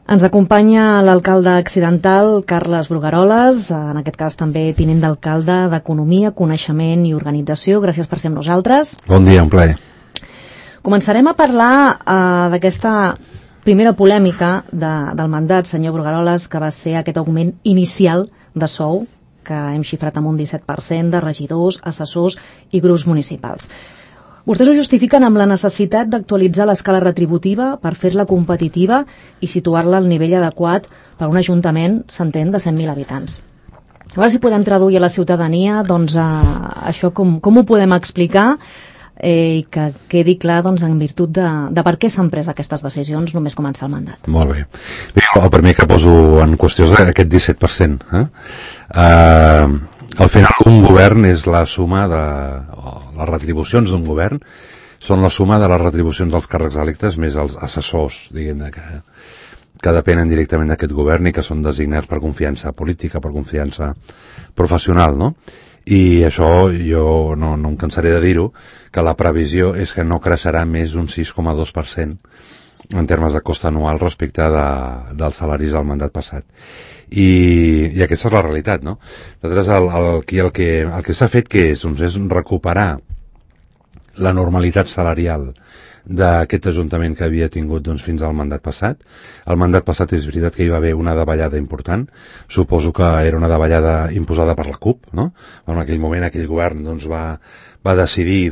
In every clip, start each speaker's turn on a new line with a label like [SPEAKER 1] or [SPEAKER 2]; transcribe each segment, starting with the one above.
[SPEAKER 1] Ens acompanya l'alcalde accidental, Carles Brugueroles, en aquest cas també tinent d'alcalde d'Economia, Coneixement i Organització. Gràcies per ser amb nosaltres.
[SPEAKER 2] Bon dia, un plaer.
[SPEAKER 1] Començarem a parlar d'aquesta primera polèmica del mandat, senyor Brugueroles, que va ser aquest augment inicial de sou, que hem xifrat amb un 17% de regidors, assessors i grups municipals. Vostès ho justifiquen amb la necessitat d'actualitzar l'escala retributiva per fer-la competitiva i situar-la al nivell adequat per a un ajuntament, s'entén, de 100.000 habitants. A veure si podem traduir a la ciutadania això com ho podem explicar i que quedi clar en virtut de per què s'han pres aquestes decisions només començar el mandat.
[SPEAKER 2] Molt bé. El primer que poso en qüestió és aquest 17%. Al final un govern és la suma de les retribucions d'un govern, són la suma de les retribucions dels càrrecs electes més els assessors, diguem-ne, que depenen directament d'aquest govern i que són designats per confiança política, per confiança professional, no? I això jo no em cansaré de dir-ho, que la previsió és que no creixerà més d'un 6,2% en termes de cost anual respecte dels salaris del mandat passat. I aquesta és la realitat, no? Nosaltres el que s'ha fet és recuperar la normalitat salarial d'aquest ajuntament que havia tingut fins al mandat passat. El mandat passat és veritat que hi va haver una davallada important, suposo que era una davallada imposada per la CUP, no? En aquell moment aquell govern va decidir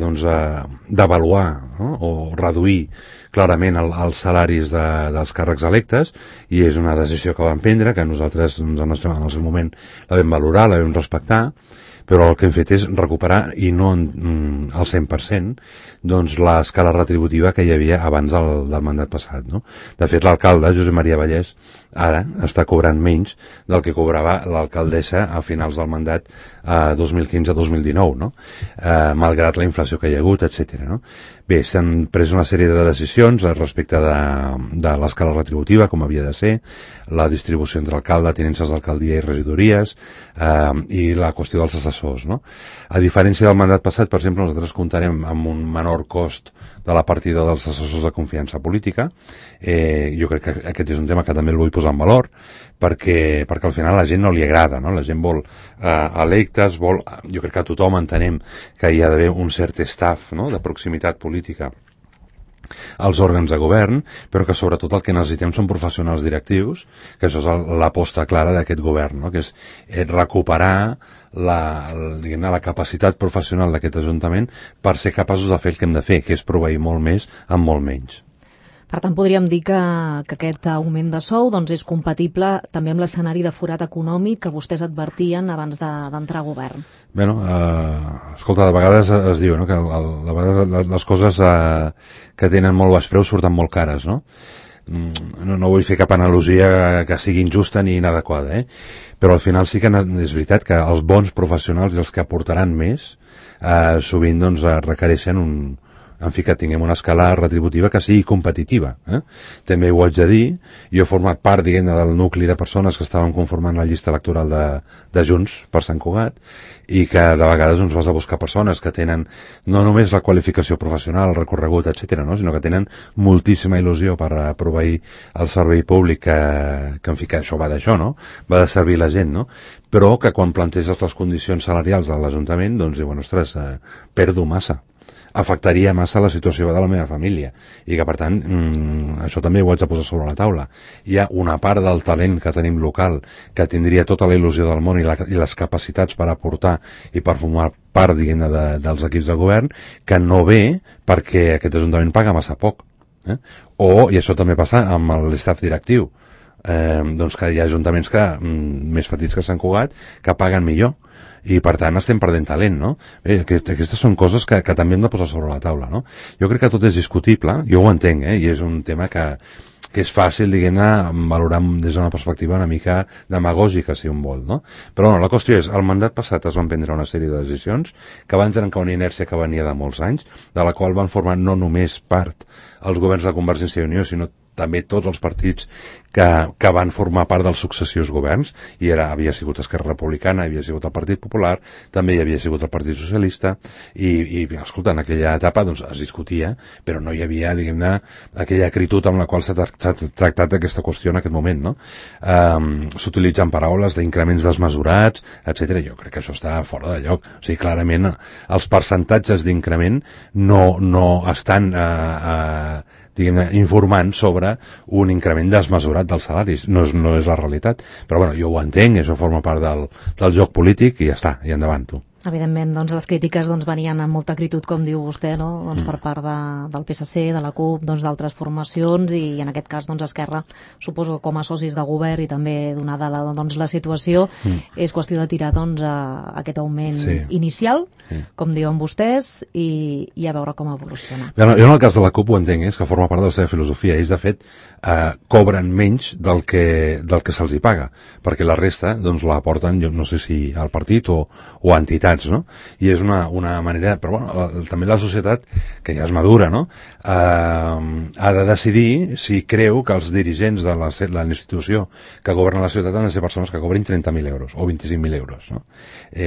[SPEAKER 2] devaluar, no? O reduir clarament els salaris dels càrrecs electes, i és una decisió que vam prendre, que nosaltres en el seu moment la vam valorar, la vam respectar, però el que hem fet és recuperar, i no al 100%, l'escala retributiva que hi havia abans del mandat passat, no? De fet, l'alcalde, Josep Maria Vallès, ara està cobrant menys del que cobrava l'alcaldessa a finals del mandat 2015-2019, no? Malgrat la inflació que hi ha hagut, etc. No? Bé, s'han pres una sèrie de decisions respecte de l'escala retributiva, com havia de ser, la distribució entre alcalde, tinences d'alcaldia i regidories, i la qüestió dels assessors, no? A diferència del mandat passat, per exemple, nosaltres comptarem amb un menor cost de la partida dels assessors de confiança política. Jo crec que aquest és un tema que també el vull posar en valor, perquè al final a la gent no li agrada, no? La gent vol electes, jo crec que a tothom entenem que hi ha d'haver un cert staff, no?, de proximitat política als òrgans de govern, però que sobretot el que necessitem són professionals directius, que això és l'aposta clara d'aquest govern, no?, que és recuperar la capacitat professional d'aquest Ajuntament per ser capaços de fer el que hem de fer, que és proveir molt més amb molt menys.
[SPEAKER 1] Per tant, podríem dir que aquest augment de sou és compatible també amb l'escenari de forat econòmic que vostès advertien abans d'entrar a govern.
[SPEAKER 2] Bé, escolta, de vegades es diu, no?, que de vegades les coses que tenen molt baix preu surten molt cares, no? No vull fer cap analogia que sigui injusta ni inadequada, però al final sí que és veritat que els bons professionals i els que aportaran més sovint requereixen que tinguem una escala retributiva que sigui competitiva. També ho haig de dir, jo he format part, diguem-ne, del nucli de persones que estaven conformant la llista electoral de Junts per Sant Cugat, i que de vegades vas a buscar persones que tenen no només la qualificació professional, el recorregut, etc., no?, sinó que tenen moltíssima il·lusió per proveir el servei públic, que això va d'això, no?, va de servir la gent, no?, però que quan planteges les condicions salarials de l'Ajuntament, diuen, ostres, perdo massa, afectaria massa la situació de la meva família, i que per tant això també ho haig de posar sobre la taula. Hi ha una part del talent que tenim local que tindria tota la il·lusió del món i les capacitats per aportar i per formar part, diguem-ne, dels equips de govern, que no ve perquè aquest Ajuntament paga massa poc, i això també passa amb l'estaf directiu, que hi ha ajuntaments més petits que Sant Cugat que paguen millor, i per tant estem perdent talent, no? Aquestes són coses que també hem de posar sobre la taula, no? Jo crec que tot és discutible, jo ho entenc, i és un tema que és fàcil, diguem-ne, valorar des d'una perspectiva una mica demagògica, si un vol, no? Però la qüestió és, al mandat passat es van prendre una sèrie de decisions que van trencar una inèrcia que venia de molts anys, de la qual van formar no només part els governs de Convergència i Unió, sinó també tots els partits que van formar part dels successius governs, i havia sigut Esquerra Republicana, havia sigut el Partit Popular, també hi havia sigut el Partit Socialista, i escolta, en aquella etapa doncs, es discutia, però no hi havia, diguem-ne, aquella acritud amb la qual s'ha tractat aquesta qüestió en aquest moment, no? S'utilitzen paraules d'increments desmesurats, etc. Jo crec que això està fora de lloc. O sigui, clarament, els percentatges d'increment no estan diguem-ne, informant sobre un increment desmesurat dels salaris. No és la realitat. Però bueno, jo ho entenc, això forma part del joc polític i ja està, i endavant tu.
[SPEAKER 1] Evidentment, doncs les crítiques venien amb molta acritud, com diu vostè, no? Doncs per part del PSC, de la CUP, d'altres formacions, i en aquest cas Esquerra, suposo que com a socis de govern i també donada la situació, és qüestió de tirar aquest augment inicial, com diuen vostès, i a veure com evoluciona.
[SPEAKER 2] Jo en el cas de la CUP ho entenc, és que forma part de la seva filosofia. Ells, de fet, cobren menys del que se'ls hi paga, perquè la resta la aporten, jo no sé si al partit o a entitats, no? I és una manera, però bueno, també la societat, que ja és madura, no? Ha de decidir si creu que els dirigents de la institució que governa la ciutat han de ser persones que cobrin 30.000 euros o 25.000 euros, no?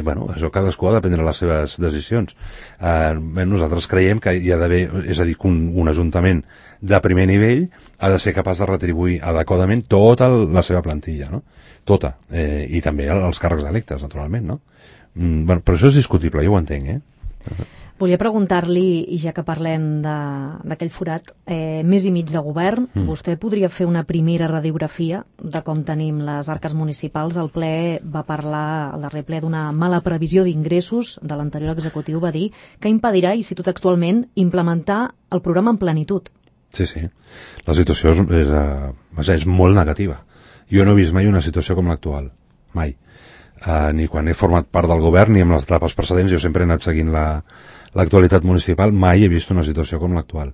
[SPEAKER 2] Bueno, això cadascú ha de prendre les seves decisions. Nosaltres creiem que hi ha d'haver, és a dir, que un ajuntament de primer nivell ha de ser capaç de retribuir adequadament tota la seva plantilla, no? Tota, i també els càrrecs electes, naturalment, no? Bueno, però això és discutible, jo ho entenc,
[SPEAKER 1] Volia preguntar-li, i ja que parlem d'aquell forat, mes i mig de govern, vostè podria fer una primera radiografia de com tenim les arques municipals? El ple va parlar, el darrer ple, d'una mala previsió d'ingressos de l'anterior executiu, va dir que impedirà, i cito textualment, implementar el programa en plenitud.
[SPEAKER 2] Sí. La situació és molt negativa. Jo no he vist mai una situació com l'actual. Mai. Ni quan he format part del govern ni en les etapes precedents. Jo sempre he anat seguint l'actualitat municipal. Mai he vist una situació com l'actual.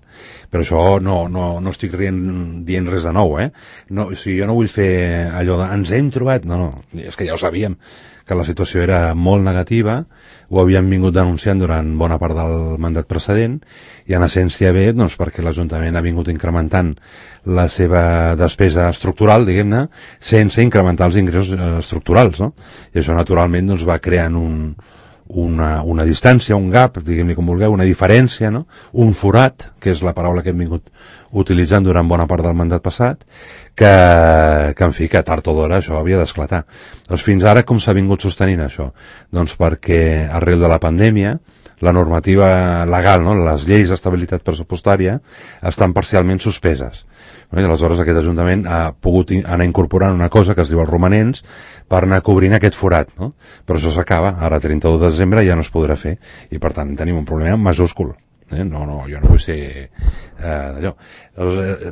[SPEAKER 2] Però això no estic dient res de nou, No, o sigui, jo no vull fer allò de ens hem trobat. No, és que ja ho sabíem, que la situació era molt negativa, ho havíem vingut denunciant durant bona part del mandat precedent, i en essència ve perquè l'Ajuntament ha vingut incrementant la seva despesa estructural, diguem-ne, sense incrementar els ingressos estructurals, no? I això naturalment va creant una distància, un gap, diguem-ne com vulgueu, una diferència, no? Un forat, que és la paraula que hem vingut utilitzant durant bona part del mandat passat, que en fi, que tard o d'hora això havia d'esclatar. Doncs fins ara com s'ha vingut sostenint això? Doncs perquè arrel de la pandèmia la normativa legal, no? Les lleis d'estabilitat pressupostària estan parcialment suspeses. I aleshores aquest Ajuntament ha pogut anar incorporant una cosa que es diu els romanents per anar cobrint aquest forat, no? Però això s'acaba, ara 31 de desembre ja no es podrà fer, i per tant tenim un problema majúscul. No, jo no vull ser d'allò.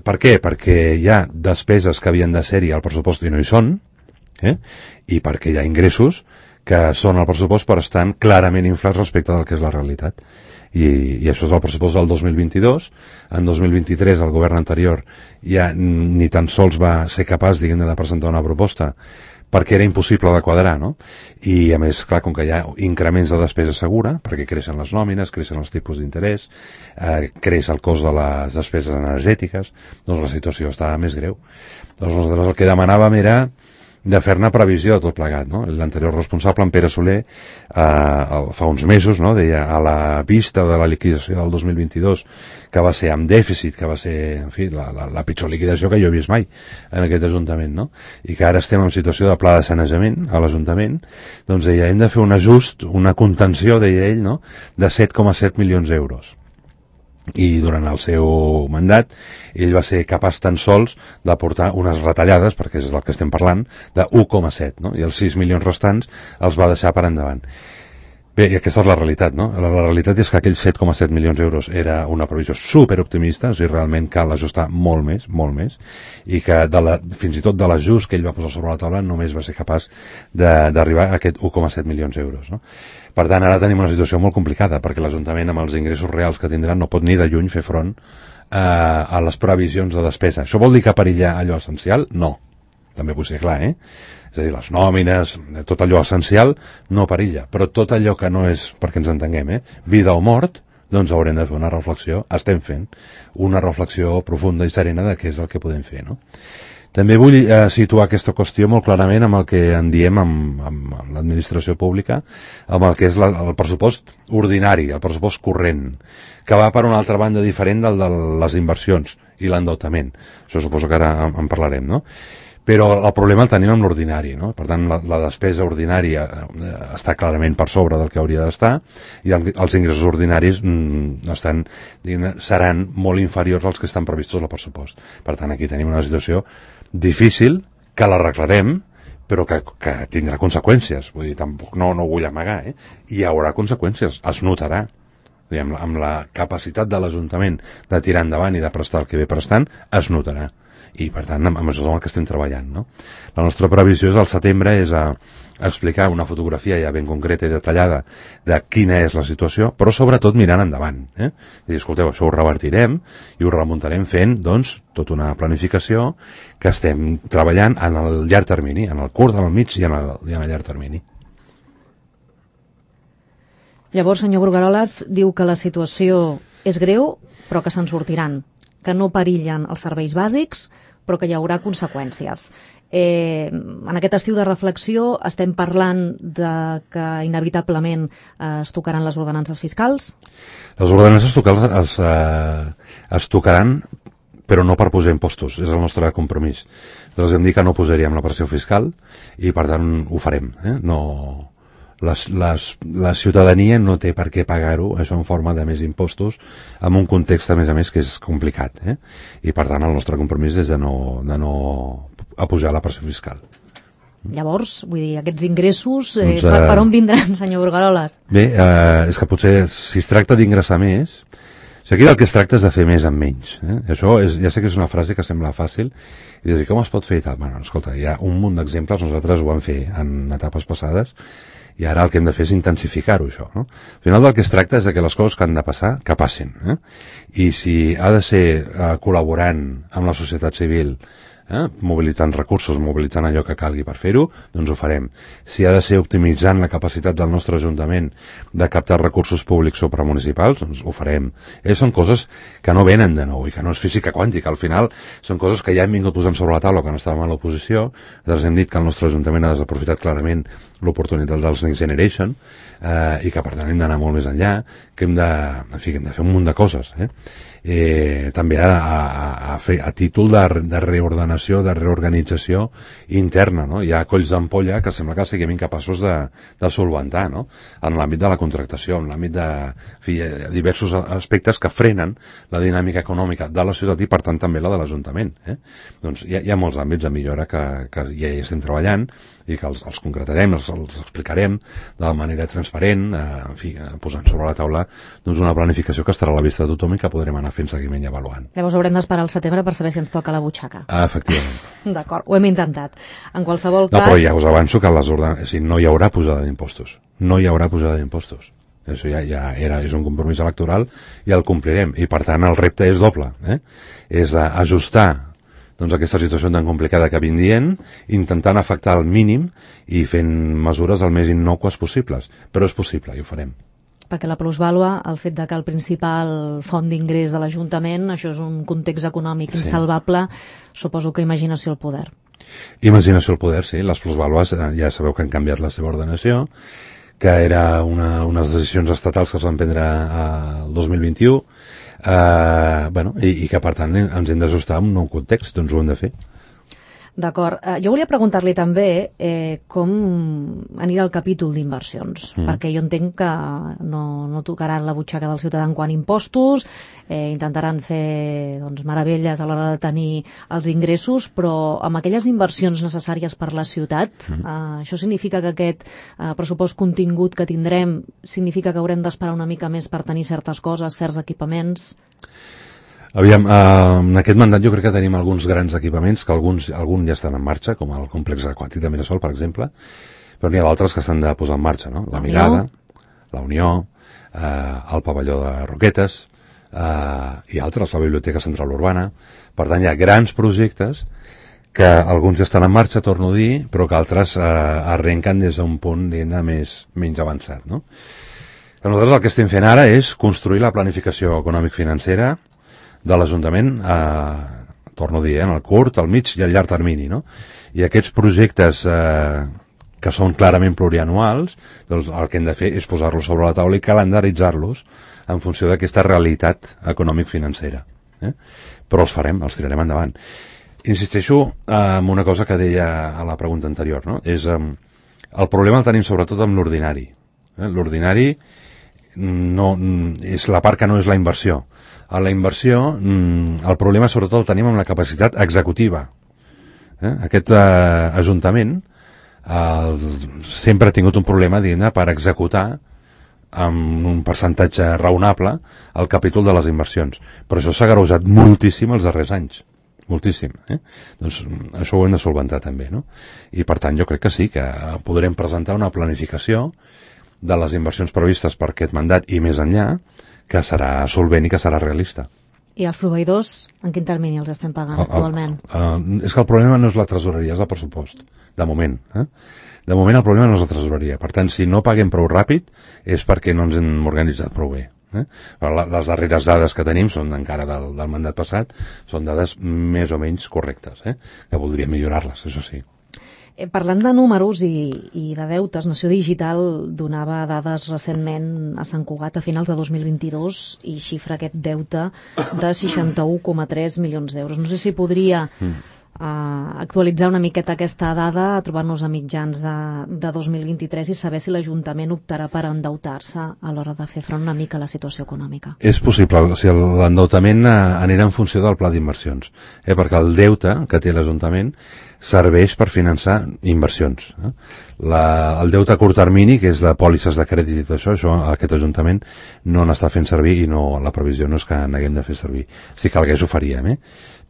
[SPEAKER 2] Per què? Perquè hi ha despeses que havien de ser-hi al pressupost i no hi són, i perquè hi ha ingressos que són al pressupost però estan clarament inflats respecte del que és la realitat. I això és el pressupost del 2022. En 2023 el govern anterior ja ni tan sols va ser capaç, diguem-ne, de presentar una proposta perquè era impossible de quadrar, no? I a més, clar, com que hi ha increments de despesa segura, perquè creixen les nòmines, creixen els tipus d'interès, creix el cost de les despeses energètiques, doncs la situació està més greu. Doncs nosaltres el que demanàvem era de fer-ne previsió de tot plegat, no? L'anterior responsable, en Pere Soler, fa uns mesos, no? Deia, a la vista de la liquidació del 2022, que va ser amb dèficit, que va ser, en fi, la pitjor liquidació que jo he vist mai en aquest Ajuntament, no? I que ara estem en situació de pla de sanejament a l'Ajuntament, doncs deia, hem de fer un ajust, una contenció, deia ell, no? De 7,7 milions d'euros. I durant el seu mandat ell va ser capaç tan sols d'aportar unes retallades, perquè és del que estem parlant, de 1,7, no? I els 6 milions restants els va deixar per endavant. Bé, i aquesta és la realitat, no? La realitat és que aquells 7,7 milions d'euros era una previsió superoptimista, o sigui, realment cal ajustar molt més, i que fins i tot de l'ajust que ell va posar sobre la taula només va ser capaç d'arribar a aquest 1,7 milions d'euros, no? Per tant, ara tenim una situació molt complicada, perquè l'Ajuntament, amb els ingressos reals que tindran, no pot ni de lluny fer front a les previsions de despesa. Això vol dir que perillar allò essencial? No. També vull ser clar, És a dir, les nòmines, tot allò essencial no perilla, però tot allò que no és, perquè ens entenguem, vida o mort, doncs haurem de fer una reflexió, estem fent una reflexió profunda i serena de què és el que podem fer, no? També vull situar aquesta qüestió molt clarament amb el que en diem amb l'administració pública, amb el que és el pressupost ordinari, el pressupost corrent, que va per una altra banda diferent del de les inversions i l'endeutament. Això suposo que ara en parlarem, no? Però el problema el tenim amb l'ordinari, no? Per tant, la despesa ordinària està clarament per sobre del que hauria d'estar i els ingressos ordinaris seran molt inferiors als que estan previstos al pressupost. Per tant, aquí tenim una situació difícil, que l'arreglarem, però que tindrà conseqüències. Vull dir, tampoc no ho vull amagar, Hi haurà conseqüències, es notarà. Amb la capacitat de l'Ajuntament de tirar endavant i de prestar el que ve prestant, es notarà. I per tant amb això és el que estem treballant, no? La nostra previsió és al setembre és a explicar una fotografia ja ben concreta i detallada de quina és la situació, però sobretot mirant endavant, dir, escolteu, això ho revertirem i ho remuntarem fent, doncs, tota una planificació que estem treballant en el llarg termini, en el curt, en el mig i en el llarg termini.
[SPEAKER 1] Llavors, senyor Brugueroles, diu que la situació és greu, però que se'n sortiran, que no perillen els serveis bàsics, però que hi haurà conseqüències. En aquest estiu de reflexió estem parlant de que inevitablement es tocaran les ordenances fiscals?
[SPEAKER 2] Les ordenances fiscals es tocaran, però no per posar impostos, és el nostre compromís. Nosaltres hem dit que no posaríem la pressió fiscal i per tant ho farem. No... La ciutadania no té per què pagar-ho, això en forma de més impostos, en un context, a més, que és complicat. I, per tant, el nostre compromís és de no apujar la pressió fiscal.
[SPEAKER 1] Llavors, vull dir, aquests ingressos, per on vindran, senyor Brugueroles?
[SPEAKER 2] Bé, és que potser, si es tracta d'ingressar més, aquí el que es tracta és de fer més amb menys. Això ja sé que és una frase que sembla fàcil, i dir, com es pot fer i tal? Bueno, escolta, hi ha un munt d'exemples, nosaltres ho vam fer en etapes passades, i ara el que hem de fer és intensificar-ho, això, no? Al final del que es tracta és de que les coses que han de passar, que passin. I si ha de ser col·laborant amb la societat civil, mobilitzant recursos, mobilitzant allò que calgui per fer-ho, doncs ho farem. Si ha de ser optimitzant la capacitat del nostre Ajuntament de captar recursos públics supramunicipals, doncs ho farem. Són coses que no venen de nou i que no és física quàntica. Al final són coses que ja hem vingut posant sobre la taula quan estàvem a l'oposició. Nosaltres hem dit que el nostre Ajuntament ha desaprofitat clarament l'oportunitat dels Next Generation i que per tant hem d'anar molt més enllà, que hem de fer un munt de coses. També a títol de reordenació, de reorganització interna, no? Hi ha colls d'ampolla que sembla que siguem incapaços de solventar, no? En l'àmbit de la contractació, en l'àmbit de diversos aspectes que frenen la dinàmica econòmica de la ciutat i per tant també la de l'Ajuntament. Doncs hi ha molts àmbits de millora que ja hi estem treballant i que els concretarem, els explicarem de manera transparent, posant sobre la taula doncs una planificació que estarà a la vista de tothom i que podrem anar fent seguiment i avaluant.
[SPEAKER 1] Llavors haurem d'esperar al setembre per saber si ens toca la butxaca.
[SPEAKER 2] Efectivament.
[SPEAKER 1] D'acord, ho hem intentat. En qualsevol cas...
[SPEAKER 2] No, però ja us avanço que no hi haurà pujada d'impostos. No hi haurà pujada d'impostos. Això és un compromís electoral i el complirem. I per tant el repte és doble. És ajustar aquesta situació tan complicada que vindrien, intentant afectar al mínim i fent mesures el més innòcues possibles. Però és possible i ho farem.
[SPEAKER 1] Perquè la plusvàlua, el fet de que el principal font d'ingrés de l'Ajuntament, això és un context econòmic insalvable, suposo que imaginació al poder.
[SPEAKER 2] Imaginació al poder, sí. Les plusvàlues ja sabeu que han canviat la seva ordenació, que era unes decisions estatals que es van prendre el 2021, i que per tant ens hem d'ajustar a un nou context, doncs ho hem de fer.
[SPEAKER 1] D'acord. Jo volia preguntar-li també com anirà el capítol d'inversions, perquè jo entenc que no tocaran la butxaca del ciutadà en quant a impostos, intentaran fer meravelles a l'hora de tenir els ingressos, però amb aquelles inversions necessàries per la ciutat, això significa que aquest pressupost contingut que tindrem significa que haurem d'esperar una mica més per tenir certes coses, certs equipaments?
[SPEAKER 2] Aviam, en aquest mandat jo crec que tenim alguns grans equipaments que alguns ja estan en marxa, com el complex aquàtic de Mirasol, per exemple, però n'hi ha d'altres que s'han de posar en marxa, no? La Mirada, la Unió, el pavelló de Roquetes i altres, la Biblioteca Central Urbana. Per tant, hi ha grans projectes que alguns ja estan en marxa, torno a dir, però que altres arrenquen des d'un punt menys avançat, no? Nosaltres el que estem fent ara és construir la planificació econòmic-financera de l'Ajuntament, torno a dir, en el curt, el mig i el llarg termini, no? I aquests projectes que són clarament plurianuals, doncs el que hem de fer és posar-los sobre la taula i calendaritzar-los en funció d'aquesta realitat econòmic-financera. Però els farem, els tirarem endavant. Insisteixo en una cosa que deia a la pregunta anterior, no? El problema el tenim sobretot amb l'ordinari. L'ordinari no, és la part que no és la inversió. A la inversió, el problema sobretot el tenim amb la capacitat executiva. Aquest Ajuntament sempre ha tingut un problema, diguem-ne, per executar amb un percentatge raonable el capítol de les inversions. Però això s'ha agreujat moltíssim els darrers anys. Moltíssim. Doncs això ho hem de solventar també, no? I per tant jo crec que sí, que podrem presentar una planificació de les inversions previstes per aquest mandat i més enllà, que serà solvent i que serà realista.
[SPEAKER 1] I els proveïdors, en quin termini els estem pagant actualment?
[SPEAKER 2] És que el problema no és la tresoreria, és el pressupost, de moment. De moment el problema no és la tresoreria. Per tant, si no paguem prou ràpid és perquè no ens hem organitzat prou bé. Les darreres dades que tenim són encara del mandat passat, són dades més o menys correctes, que voldríem millorar-les, això sí.
[SPEAKER 1] Parlant de números i de deutes, Nació Digital donava dades recentment a Sant Cugat a finals de 2022 i xifra aquest deute de 61,3 milions d'euros. No sé si podria actualitzar una miqueta aquesta dada, trobar-nos a mitjans de 2023 i saber si l'Ajuntament optarà per endeutar-se a l'hora de fer front una mica a la situació econòmica.
[SPEAKER 2] És possible, o sigui, l'endeutament anirà en funció del pla d'inversions, perquè el deute que té l'Ajuntament serveix per finançar inversions. El deute a curt termini, que és de pòlisses de crèdit i tot això aquest Ajuntament no n'està fent servir i la previsió no és que n'haguem de fer servir. Si calgués ho faríem,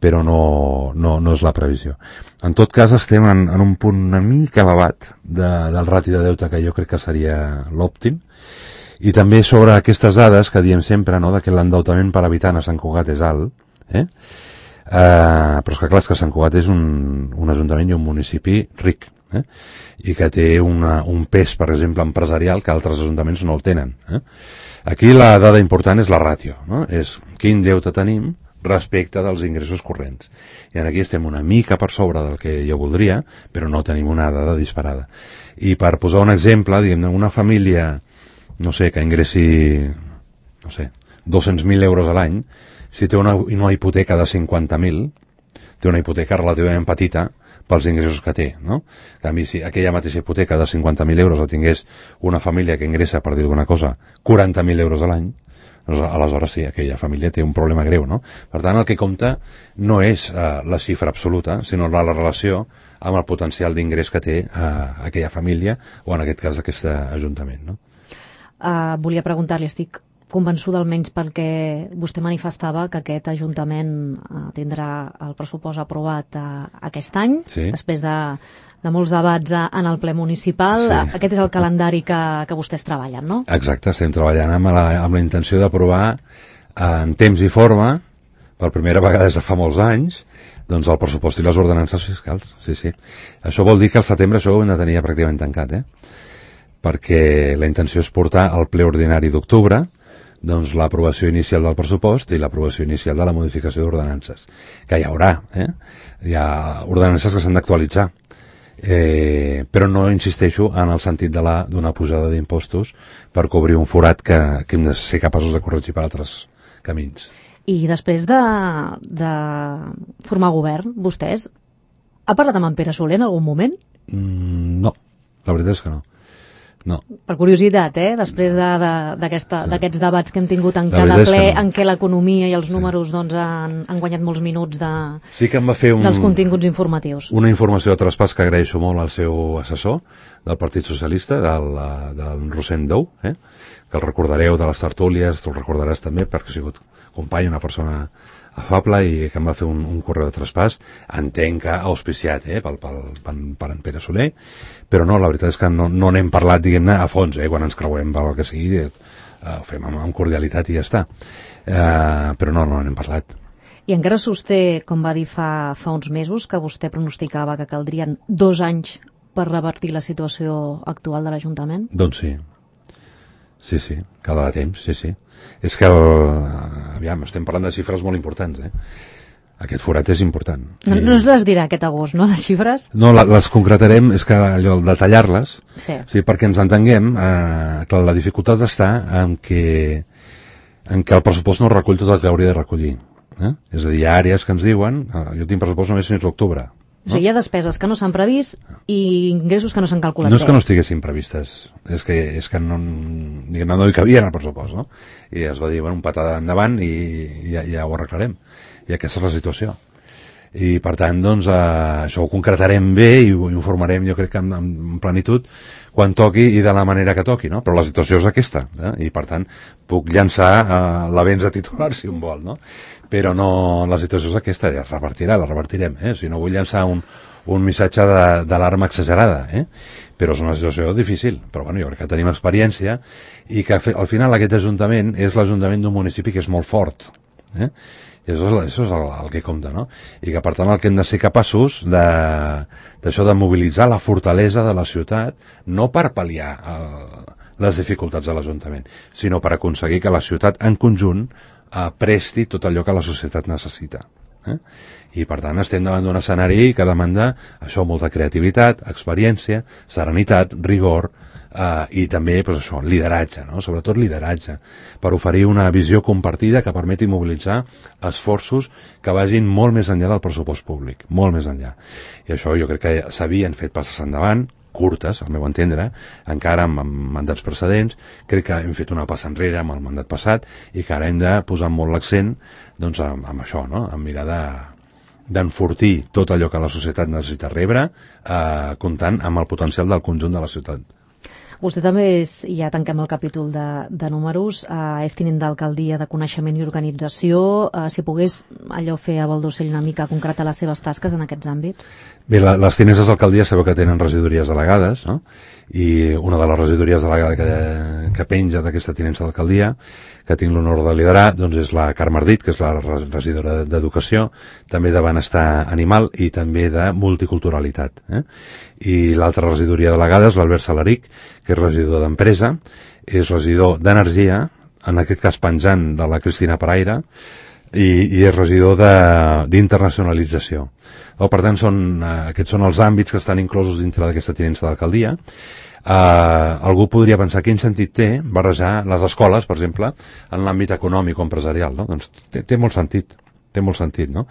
[SPEAKER 2] però no és la previsió. En tot cas, estem en un punt una mica elevat del rati de deute que jo crec que seria l'òptim. I també sobre aquestes dades que diem sempre, no?, que l'endeutament per habitant a Sant Cugat és alt, però és que clar, és que Sant Cugat és un ajuntament i un municipi ric, i que té un pes, per exemple, empresarial que altres ajuntaments no el tenen. Aquí la dada important és la ràtio, no? És quin deute tenim respecte dels ingressos corrents. I aquí estem una mica per sobre del que jo voldria, però no tenim una dada disparada. I per posar un exemple, diguem-ne, una família, no sé, que ingressi, 200.000 euros a l'any, si té una hipoteca de 50.000, té una hipoteca relativament petita pels ingressos que té, no? En canvi, si aquella mateixa hipoteca de 50.000 euros la tingués una família que ingressa, per dir alguna cosa, 40.000 euros a l'any, aleshores sí, aquella família té un problema greu, no? Per tant, el que compta no és la xifra absoluta, sinó la relació amb el potencial d'ingrés que té aquella família, o en aquest cas aquest ajuntament, no?
[SPEAKER 1] Volia preguntar-li, estic convençuda almenys pel que vostè manifestava que aquest Ajuntament tindrà el pressupost aprovat aquest any, després de molts debats en el ple municipal. Aquest és el calendari que vostès treballen, no?
[SPEAKER 2] Exacte, estem treballant amb la intenció d'aprovar en temps i forma, per primera vegada des de fa molts anys, doncs el pressupost i les ordenances fiscals. Sí. Això vol dir que al setembre això ho hem de tenir pràcticament tancat, perquè la intenció és portar al ple ordinari d'octubre doncs l'aprovació inicial del pressupost i l'aprovació inicial de la modificació d'ordenances, que hi haurà, hi ha ordenances que s'han d'actualitzar, però no insisteixo en el sentit d'una pujada d'impostos per cobrir un forat que hem de ser capaços de corregir per altres camins.
[SPEAKER 1] I després de formar govern, vostès, ha parlat amb en Pere Soler en algun moment?
[SPEAKER 2] No, la veritat és que no. No.
[SPEAKER 1] Per curiositat, després d'aquests debats que hem tingut en cada ple, en què l'economia i els números han guanyat molts minuts
[SPEAKER 2] sí que em va fer
[SPEAKER 1] dels continguts informatius.
[SPEAKER 2] Una informació de traspàs que agraeixo molt al seu assessor del Partit Socialista, del Rosent Dou, que el recordareu de les tertúlies, tu el recordaràs també perquè ha sigut company, una persona afable, i que em va fer un correu de traspàs, entenc que auspiciat per en Pere Soler, però no, la veritat és que no n'hem parlat, diguem-ne, a fons, quan ens creuem pel que sigui, ho fem amb cordialitat i ja està, però no n'hem parlat.
[SPEAKER 1] I encara sosté, com va dir fa uns mesos, que vostè pronosticava que caldrien 2 anys per revertir la situació actual de l'Ajuntament?
[SPEAKER 2] Doncs sí. Sí, caldrà temps, sí. És que, aviam, estem parlant de xifres molt importants, Aquest forat és important.
[SPEAKER 1] No ens les dirà aquest agost, no, les xifres?
[SPEAKER 2] No, les concretarem, és que allò, detallar-les, sí, perquè ens entenguem, clar, la dificultat està en que el pressupost no recull tot el que hauria de recollir. És a dir, hi ha àrees que ens diuen, jo tinc pressupost només fins a l'octubre.
[SPEAKER 1] O sigui, hi ha despeses que no s'han previst i ingressos que no s'han calculat.
[SPEAKER 2] No és que no estiguessin previstes, és que no hi cabien al pressupost, no? I es va dir, bueno, un patada endavant i ja ho arreglarem. I aquesta és la situació. I per tant, doncs, això ho concretarem bé i ho informarem, jo crec que en plenitud, quan toqui i de la manera que toqui, no? Però la situació és aquesta, i per tant puc llançar l'avenç de titular si un vol, no? Però no, la situació és aquesta, ja es revertirà, la revertirem, si no vull llançar un missatge d'alarma exagerada, però és una situació difícil, però bueno, jo crec que tenim experiència i que al final aquest ajuntament és l'ajuntament d'un municipi que és molt fort, i això és el que compta, no? I que per tant el que hem de ser capaços d'això de mobilitzar la fortalesa de la ciutat, no per pal·liar les dificultats de l'Ajuntament, sinó per aconseguir que la ciutat en conjunt presti tot allò que la societat necessita. I per tant estem davant d'un escenari que demanda això, molta creativitat, experiència, serenitat, rigor, i també doncs això, lideratge, no? Sobretot lideratge, per oferir una visió compartida que permeti mobilitzar esforços que vagin molt més enllà del pressupost públic, molt més enllà. I això jo crec que s'havien fet passes endavant, curtes, al meu entendre, encara amb mandats precedents. Crec que hem fet una passa enrere amb el mandat passat i que ara hem de posar molt l'accent doncs, amb això, no? En mirar d'enfortir tot allò que la societat necessita rebre, comptant amb el potencial del conjunt de la ciutat.
[SPEAKER 1] Vostè també és, ja tanquem el capítol de números, és tinent d'alcaldia de Coneixement i Organització. Si pogués allò fer a vol d'ocell una mica concretar les seves tasques en aquests àmbits?
[SPEAKER 2] Bé, les tinences d'alcaldia sabeu que tenen regidories delegades, no? I una de les regidories delegades que penja d'aquesta tinença d'alcaldia, que tinc l'honor de liderar, doncs és la Carme Ardit, que és la regidora d'Educació, també de Benestar Animal i també de Multiculturalitat. I l'altra regidoria delegada és l'Albert Salaric, que és regidor d'Empresa, és regidor d'Energia, en aquest cas penjant de la Cristina Paraire, i és regidor d'internacionalització. Per tant, aquests són els àmbits que estan inclosos dintre d'aquesta tinença d'alcaldia. Algú podria pensar quin sentit té barrejar les escoles, per exemple, en l'àmbit econòmic o empresarial, no? Doncs té molt sentit. Té molt sentit, no?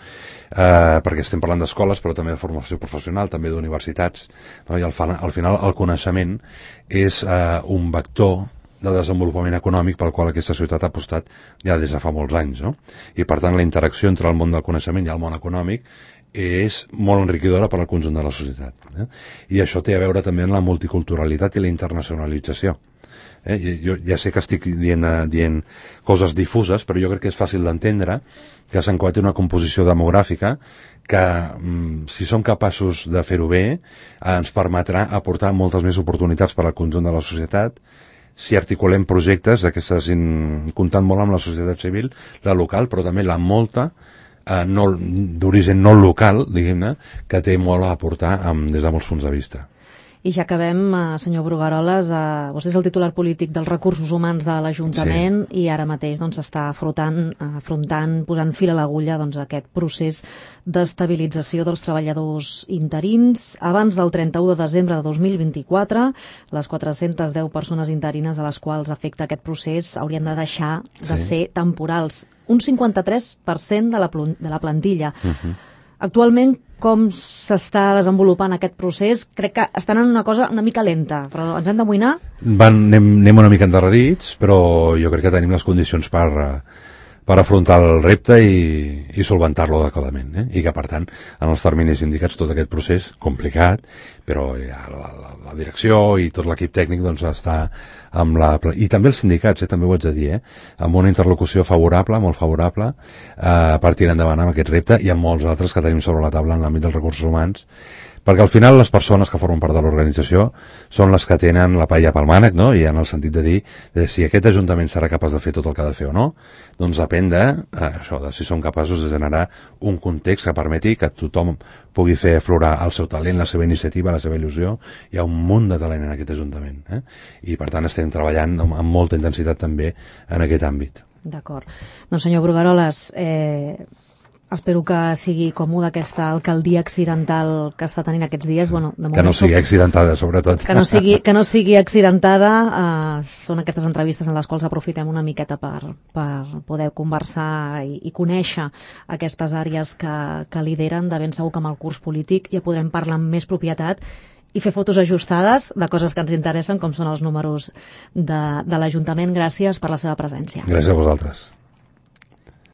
[SPEAKER 2] Perquè estem parlant d'escoles, però també de formació professional, també d'universitats, no? I al final el coneixement és un vector de desenvolupament econòmic pel qual aquesta ciutat ha apostat ja des de fa molts anys, no? I per tant la interacció entre el món del coneixement i el món econòmic és molt enriquidora per al conjunt de la societat. I això té a veure també amb la multiculturalitat i la internacionalització. Jo ja sé que estic dient coses difuses, però jo crec que és fàcil d'entendre que Sant Cugat té una composició demogràfica que, si som capaços de fer-ho bé, ens permetrà aportar moltes més oportunitats per al conjunt de la societat si articulem projectes d'aquestes, comptant molt amb la societat civil, la local, però també la molta d'origen no local, diguem-ne, que té molt a aportar des de molts punts de vista.
[SPEAKER 1] I ja acabem, senyor Brugueroles, vostè és el titular polític dels recursos humans de l'Ajuntament, sí. I ara mateix s'està afrontant, posant fil a l'agulla aquest procés d'estabilització dels treballadors interins. Abans del 31 de desembre de 2024, les 410 persones interines a les quals afecta aquest procés haurien de deixar de ser temporals. Un 53% de la plantilla. Actualment, com s'està desenvolupant aquest procés? Crec que estan en una cosa una mica lenta, però ens hem d'amoïnar?
[SPEAKER 2] Anem una mica endarrerits, però jo crec que tenim les condicions per afrontar el repte i solventar-lo adequadament, i que per tant en els terminis indicats tot aquest procés complicat, però ja la direcció i tot l'equip tècnic està i també els sindicats, també ho haig de dir, amb una interlocució favorable, molt favorable, per tirar endavant amb aquest repte i amb molts altres que tenim sobre la taula en l'àmbit dels recursos humans, Perquè al final les persones que formen part de l'organització són les que tenen la paella pel mànec, no? I en el sentit de dir si aquest Ajuntament serà capaç de fer tot el que ha de fer o no, doncs depèn de si són capaços de generar un context que permeti que tothom pugui fer aflorar el seu talent, la seva iniciativa, la seva il·lusió. Hi ha un munt de talent en aquest Ajuntament, i per tant estem treballant amb molta intensitat també en aquest àmbit.
[SPEAKER 1] D'acord. Doncs senyor Brugueroles, espero que sigui còmode aquesta alcaldia accidental que està tenint aquests dies. Bueno, de moment
[SPEAKER 2] que no sigui accidentada, sobretot.
[SPEAKER 1] Que no sigui accidentada. Són aquestes entrevistes en les quals aprofitem una miqueta per poder conversar i conèixer aquestes àrees que lideren. De ben segur que amb el curs polític ja podrem parlar amb més propietat i fer fotos ajustades de coses que ens interessen, com són els números de l'Ajuntament. Gràcies per la seva presència.
[SPEAKER 2] Gràcies a vosaltres.